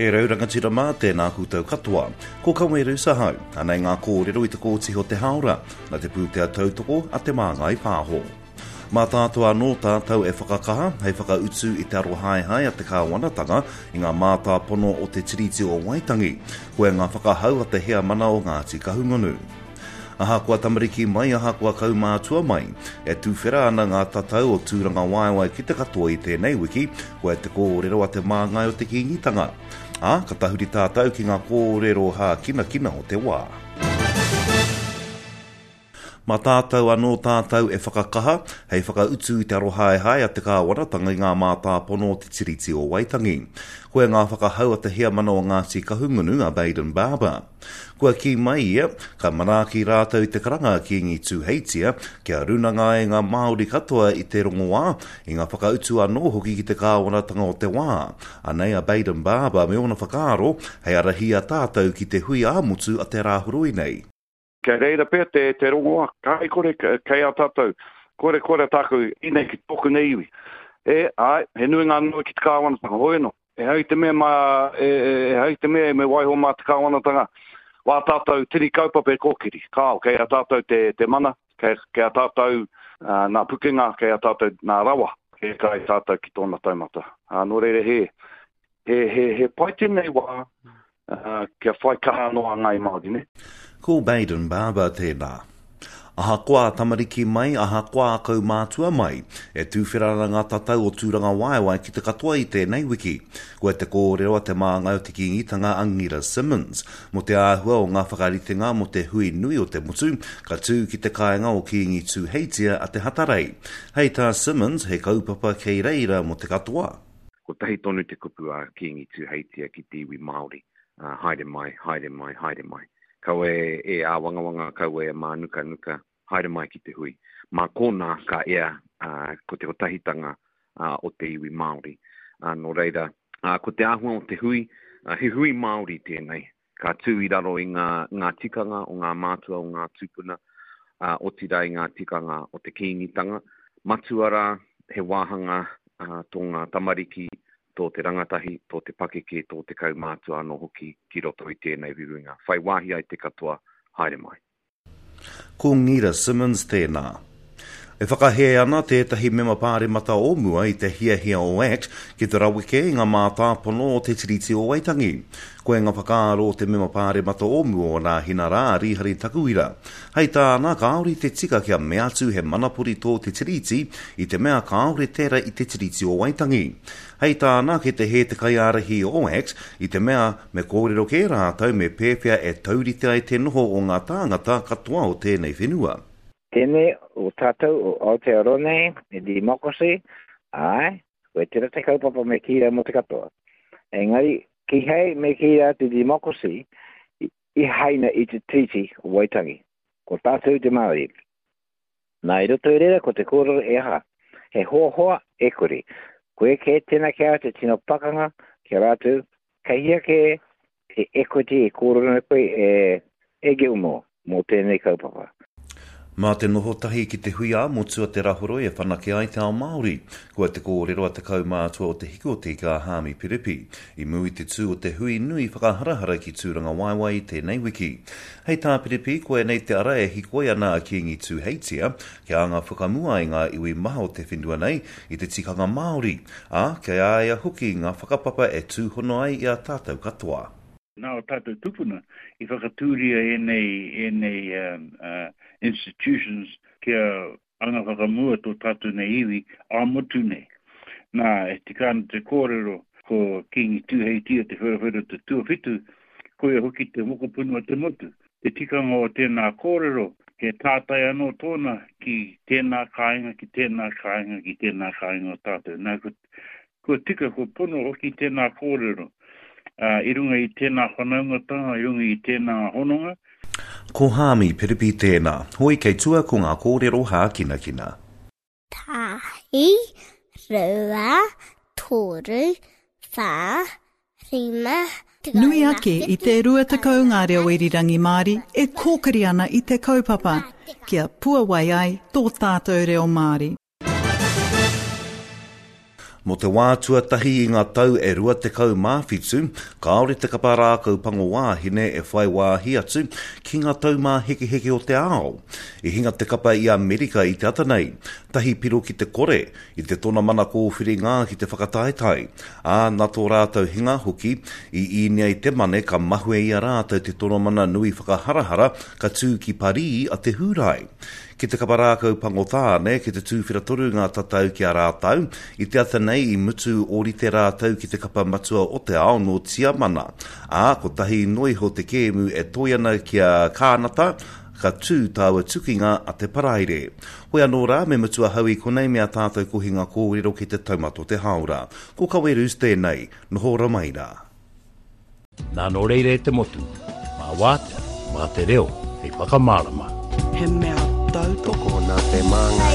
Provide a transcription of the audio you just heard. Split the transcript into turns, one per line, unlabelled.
E rau rangatira mā, tēnā koutou katoa. Ko Kaweru Sahau. Anei ngā kōrero i te kōtihi o te hāora, nā te pūtea tautoko a Te Māngai Pāho. Mā tātou anō tātou e whakakaha hei whakautu i te arohaehae a te kāwanatanga i ngā mātāpono o Te Tiriti o Waitangi, koia ngā whakahau a te heamana o Ngāti Kahungunu. Ahakoa tamariki mai, ahakoa kaumātua mai, e tuwhera ana ngā tatau o Tūrangawaewae ki te katoa i tēnei wiki, koia te kōrero a te māngai o te Kīngitanga. Ā, ka tahuri tātou ki ngā kōrero hākinakina o te wā. Mā tātou anō tātou e whakakaha hei whakautu i te arohaehae a te kāwanatanga i ngā mātāpono o Te Tiriti o Waitangi. Koia ngā whakahau a te heamana o Ngāti Kahungunu, a Bayden Barber. Kua kī mai ia, ka manaaki rātou i te karanga a Kīngi Tūheitia kia runanga ai ngā Māori katoa i te rongoā, i ngā whakautu anō hoki ki te kāwanatanga o te wā. Anei a Bayden Barber me ōna whakaaro hei ārahi i a tātou ki te hui ā-motu a te Rāhoroi nei.
Kei reira pea te, te rongoā, kāi kore kei a tātou, kore kore tāku inei ki tōku nei iwi. E, āe, he nui ngā noa ki te kāwanatanga, hoi anō. Ehara i te mea mā, e, ehara i te mea me waiho mā te kāwanatanga wā tātou tini kaupapa e kōkiri. Kāo, kei a tātou te, te mana, kei, kei a tātou uh, nā pukenga, kei a tātou nā rawa, kei kai tātou ki tōna taumata. Uh, nō reira he, he, he, he pai tēnei wā uh, kia whai kaha anō a Ngāi Māori, ne?
Ko Bayden Barber tēnā. Ahakoa tamariki mai, ahakoa kaumātua mai, e tūwhera ana ngā tatau o Tūrangawaewae ki te katoa i tēnei wiki. Koia te kōrero a te māngai o te Kīngitanga a Ngira Simmonds, mō te āhua o ngā whakaritenga mō te hui nui o te motu ka tū ki te kāinga o Kīngi Tūheitia a Te Hatarei. Hei tā Simmonds, he kaupapa kei reira mō te katoa.
Kotahi tonu te kupu a Kīngi Tūheitia ki te iwi Māori, haere mai, haere mai, haere mai. Kaua e āwangawanga, kaua e mānukanuka, haere mai ki te hui. Mā konā ka ea ko te kotahitanga o te iwi Māori. Nō reira, ko te āhua o te hui, he hui Māori tēnei. Ka tū i raro i ngā, ngā tikanga o ngā mātua, o ngā tūpuna, otirā i ngā tikanga o te Kīngitanga. Matua rā, he wāhanga tō ngā tamariki tō te rangatahi, tō te pakeke, tō te kaumātua anō hoki ki roto i tēnei huihuinga. Whai wāhi ai te katoa, haere mai.
Ko Ngira Simmonds tēnā. E whakahē ana tētahi mema pāremata o mua i te hiahia o act ki te raweke i ngā mātāpono o Te Tiriti o Waitangi. Koia ngā whakaaro o te mema pāremata o mua o Rāhina rā, a Rīhari Takuira. Hei tāna, kāore i te tika kia mea atu he manapori tō Te Tiriti i te mea kāore tērā i Te Tiriti o Waitangi. Hei tāna, kei te hē te kaiārahi o act i te mea me kōrero kē rātou me pēwhea e taurite ai te noho o ngā tāngata katoa o tēnei whenua.
Tēnei o tātou o Aotearoa nei, he democracy, āe, koe tērā te kaupapa me kī rā mō te katoa. Engari, kīhai me kī rā te democracy i haina i te Treaty o Waitangi. Ko tātou te Māori. Nā, i roto i reira ko te kōrero e aha? He hoahoa e kore. Koe kē tēnā ki a au te tino pakanga ki a rātou, kei hea kē te equity e kōrero nei koe e, e Gilmore mō tēnei kaupapa.
Mā te noho tahi ki te hui ā-motu a Te Rahoroi e whanake ai te ao Māori. Kua te kōrero a te kaumātua o Te Hiku o Te Ika a Haami Piripi, i mū i te tū o te hui nui whakaharahara ki Tūrangawaewae i tēnei wiki. Hei tā Piripi, koinei te ara e hikoi ana a Kīngi Tūheitia kia anga whakamua ai ngā iwi maha o te whenua nei i te tikanga Māori, ā, kei a ia hoki ngā whakapapa e tūhono ai i a tātou katoa.
Nā ō tātou tupuna i whakatūria ēnei, ēnei institutions kia anga whakamua tō tātou nei iwi ā-motu nei. Nā, e tika ana te kōrero ko Kīngi Tūheitia Te Wherowhero te tuawhitu, koia hoki te mokopuna o te motu. Te tikanga o tēnā kōrero, he tātai anō tōna ki tēnā kāinga, ki tēnā kāinga, ki tēnā kāinga o tātou. Nā, ko Kua tika, kua pono hoki tēnā kōrero, ā, i runga i tēnā whanaungatanga, i runga i tēnā hononga.
Ko Haami Piripi tēnā. Hoi kei tua ko ngā kōrero hākinakina.
Tahi, rua, toru, wha, rima,
Nui ake i te 20 ngā reo irirangi Māori e kōkiri ana i te kaupapa kia puawai ai tō tātou reo Māori.
Mō te wā tuatahi i ngā tau e 27, kāore te kapa rākau pango wāhine e whai wāhi atu ki ngā taumāhekeheke o te ao. I hinga te kapa i Amerika i te ata nei, tahi piro ki te kore, i te tonamana kōwhiringa ki te whakataetae, ā, nā tō rātou hinga hoki, i īnia i te mane ka mahue i a rātou te tonamana nui whakaharahara ka tū ki Parī a te Hūrae. Ki te kapa rākau pango tāne, ki te tūwhera toru ngā tatau ki a rātou, i te ata nei i mutu ōrite rātou ki te kapa matua o te ao nō Tiamana, ā, kotahi noa iho te kēmu e toe ana ki a Kānata, ka tū tāua tukinga a te Paraire. Hoi anō rā, me mutu ahau i konei me a tātou kohinga kōrero ki te taumata o te hāora. Ko Kawerus tēnei, noho ora mai rā.
Nā nō reira e te motu, mā Wātea, mā te reo hei whakamārama.
He mea tautoko
nā Te Māngai.